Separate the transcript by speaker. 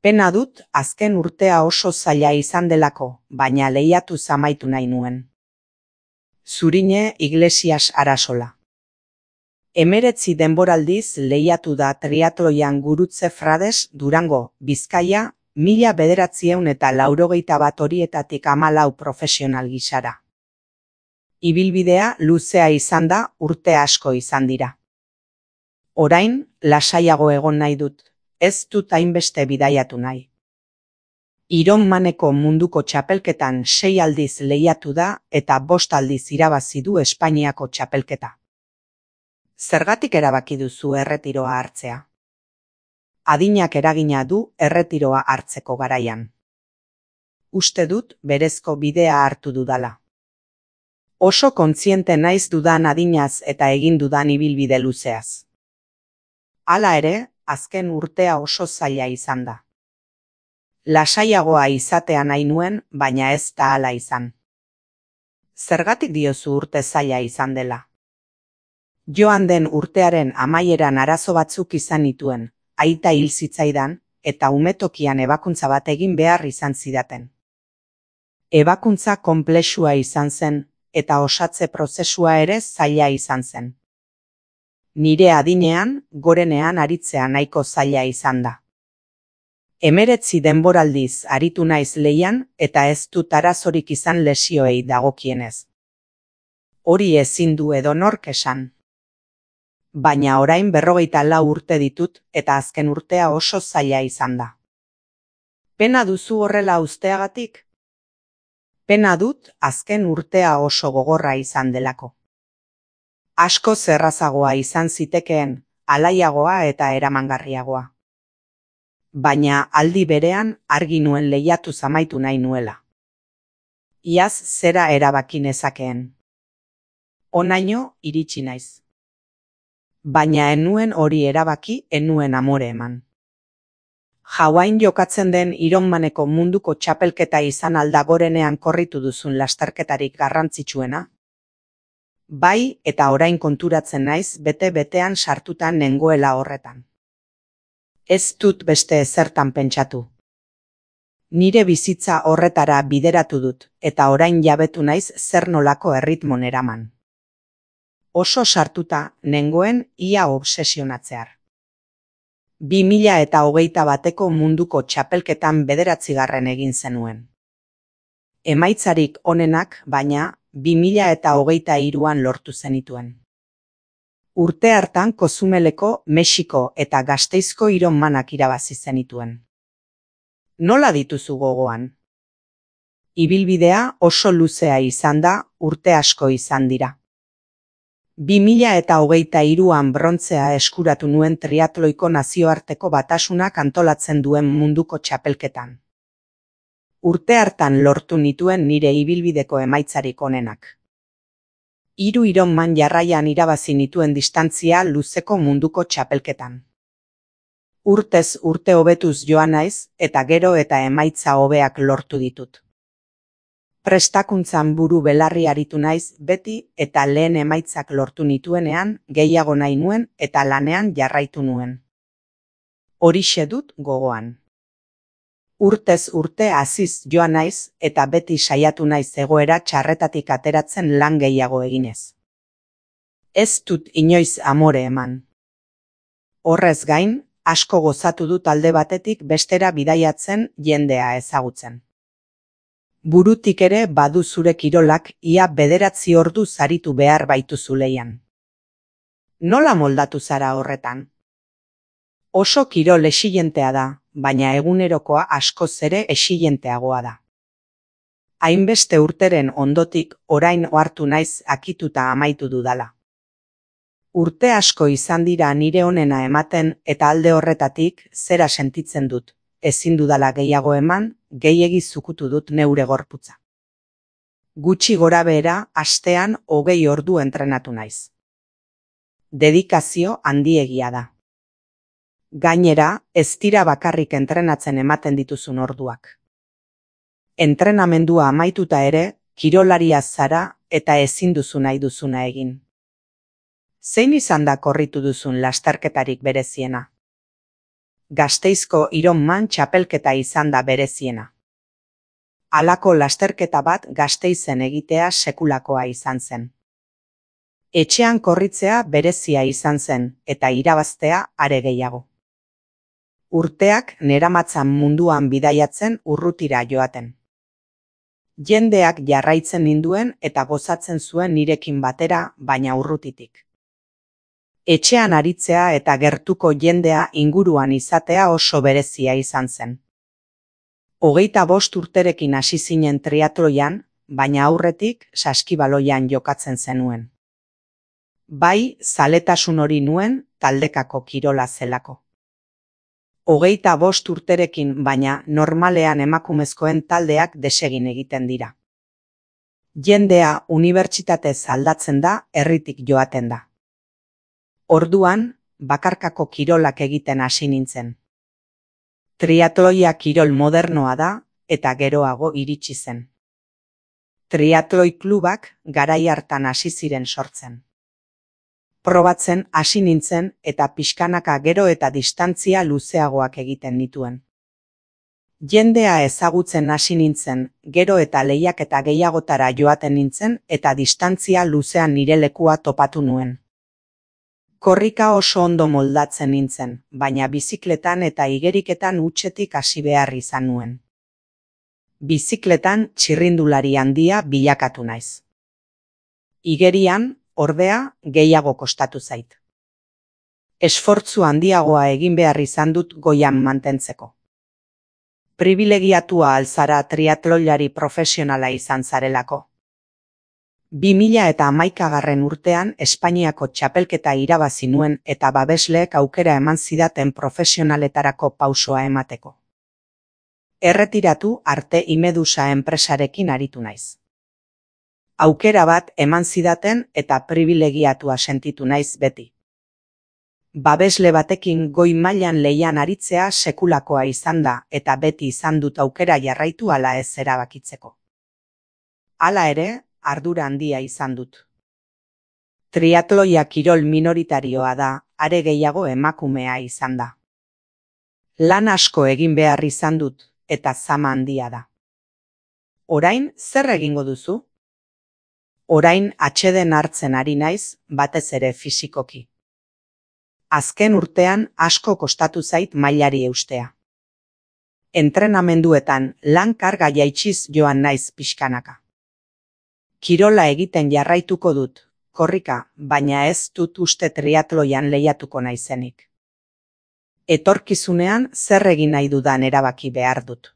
Speaker 1: Pena dut azken urtea oso zaila izan delako, baina lehiatuz amaitu nahi nuen. Zurine Iglesias Arasola. 19 denboraldiz lehiatu da triatloian Gurutze Frades, Durango, Bizkaia, 1981 horietatik 14 profesional gisara. Ibilbidea luzea izan da, urte asko izan dira. Orain, lasaiago egon nahi dut, ez dut hainbeste bidaiatu nahi. Ironmaneko munduko txapelketan 6 aldiz lehiatu da eta 5 aldiz irabazi du Espainiako txapelketa. Zergatik erabaki duzu erretiroa hartzea? Adinak eragina du erretiroa hartzeko garaian. Uste dut berezko bidea hartu dudala. Oso kontziente naiz dudan adinaz eta egin dudan ibilbide luzeaz. Hala ere, azken urtea oso zaila izan da. Lasaiagoa izatea nahi nuen, baina ez da hala izan. Zergatik diozu urte zaila izan dela? Joan den urtearen amaieran arazo batzuk izan nituen, aita hil zitzaidan, eta umetokian ebakuntza bat egin behar izan zidaten. Ebakuntza konplexua izan zen, eta osatze prozesua ere zaila izan zen. Nire adinean, gorenean aritzea nahiko zaila izan da. 19 denboraldiz aritu naiz lehian eta ez dut arazorik izan lesioei dagokienez. Hori ezin du edonork esan. Baina orain 44 urte ditut eta azken urtea oso zaila izan da. Pena duzu horrela uzteagatik? Pena dut azken urtea oso gogorra izan delako. Asko zerrazagoa izan zitekeen, alaiagoa eta eramangarriagoa. Baina aldi berean argi nuen lehiatu amaitu nahi nuela. Iaz zera erabaki nezakeen. Honaino iritsi naiz. Baina enuen hori erabaki, enuen amore eman. Hawaiin jokatzen den Ironmaneko munduko txapelketa izan alda gorenean korritu duzun lasterketarik garrantzitsuena? Bai, eta orain konturatzen naiz bete-betean sartutan nengoela horretan. Ez dut beste ezertan pentsatu. Nire bizitza horretara bideratu dut, eta orain jabetu naiz zer nolako erritmon eraman. Oso sartuta nengoen ia obsesionatzear. 2021 munduko txapelketan 9. egin zenuen. Emaitzarik onenak, baina 2023an lortu zenituen. Urte hartan Kozumeleko, Mexiko eta Gasteizko Ironmanak irabazi zenituen. Nola dituzu gogoan? Ibilbidea oso luzea izan da, urte asko izan dira. 2023an brontzea eskuratu nuen triatloiko nazioarteko batasunak antolatzen duen munduko txapelketan. Urte hartan lortu nituen nire ibilbideko emaitzarik onenak. 3 Ironman jarraian irabazi nituen distantzia luzeko munduko txapelketan. Urtez urte hobetuz joan naiz eta gero eta emaitza hobeak lortu ditut. Prestakuntzan buru belarri aritu naiz beti eta lehen emaitzak lortu nituenean gehiago nahi nuen eta lanean jarraitu nuen. Horixe dut gogoan. Urtez urte haziz joan naiz eta beti saiatu naiz egoera txarretatik ateratzen lan gehiago eginez. Ez dut inoiz amore eman. Horrez gain, asko gozatu dut alde batetik bestera bidaiatzen jendea ezagutzen. Burutik ere badu zure kirolak ia 9 ordu zaritu behar baituzu lehian. Nola moldatu zara horretan? Oso kirol exilentea da, baina egunerokoa askoz ere exilenteagoa da. Hainbeste urteren ondotik orain ohartu naiz akituta amaitu dudala. Urte asko izan dira nire onena ematen eta alde horretatik zera sentitzen dut, ezin dudala gehiago eman, gehiegi zukutu dut neure gorputza. Gutxi gorabehera astean 20 ordu entrenatu naiz. Dedikazio handiegia da. Gainera, ez dira bakarrik entrenatzen ematen dituzun orduak. Entrenamendua amaituta ere, kirolaria zara eta ezin duzu nahi duzuna egin. Zein izan da korritu duzun lasterketarik bereziena? Gasteizko Ironman txapelketa izan da bereziena. Halako lasterketa bat Gasteizen egitea sekulakoa izan zen. Etxean korritzea berezia izan zen, eta irabaztea are gehiago. Urteak neramatzan munduan bidaiatzen urrutira joaten. Jendeak jarraitzen ninduen eta gozatzen zuen nirekin batera, baina urrutitik. Etxean aritzea eta gertuko jendea inguruan izatea oso berezia izan zen. 25 urterekin hasi zinen triatloian, baina aurretik saskibaloian jokatzen zenuen. Bai, zaletasun hori nuen taldekako kirola zelako. 25 urterekin baina normalean emakumezkoen taldeak desegin egiten dira. Jendea unibertsitatez aldatzen da, herritik joaten da. Orduan, bakarkako kirolak egiten hasi nintzen. Triatloia kirol modernoa da, eta geroago iritsi zen. Triatloi klubak garai hartan hasi ziren sortzen. Probatzen hasi nintzen eta pixkanaka gero eta distantzia luzeagoak egiten nituen. Jendea ezagutzen hasi nintzen, gero eta lehiaketa gehiagotara joaten nintzen eta distantzia luzean nire lekua topatu nuen. Korrika oso ondo moldatzen nintzen, baina bizikletan eta igeriketan hutsetik hasi behar izan nuen. Bizikletan txirrindulari handia bilakatu naiz. Igerian, ordea, gehiago kostatu zait. Esfortzu handiagoa egin behar izan dut goian mantentzeko. Pribilegiatua alzara triatloilari profesionala izan zarelako. 2011 urtean Espainiako txapelketa irabazi nuen eta babesleek aukera eman zidaten profesionaletarako pausoa emateko. Erretiratu arte Imedusa enpresarekin aritu naiz. Aukera bat eman zidaten eta pribilegiatua sentitu naiz beti. Babesle batekin goi mailan lehian aritzea sekulakoa izan da eta beti izan dut aukera jarraitu ala ez erabakitzeko. Hala ere, ardura handia izan dut. Triatloia kirol minoritarioa da, are gehiago emakumea izan da. Lan asko egin behar izan dut, eta zama handia da. Orain, zer egingo duzu? Orain atseden hartzen ari naiz, batez ere fisikoki. Azken urtean asko kostatu zait mailari eustea. Entrenamenduetan lan karga jaitsiz joan naiz pixkanaka. Kirola egiten jarraituko dut, korrika, baina ez dut uste triatloian lehiatuko naizenik. Etorkizunean zer egin nahi dudan erabaki behar dut.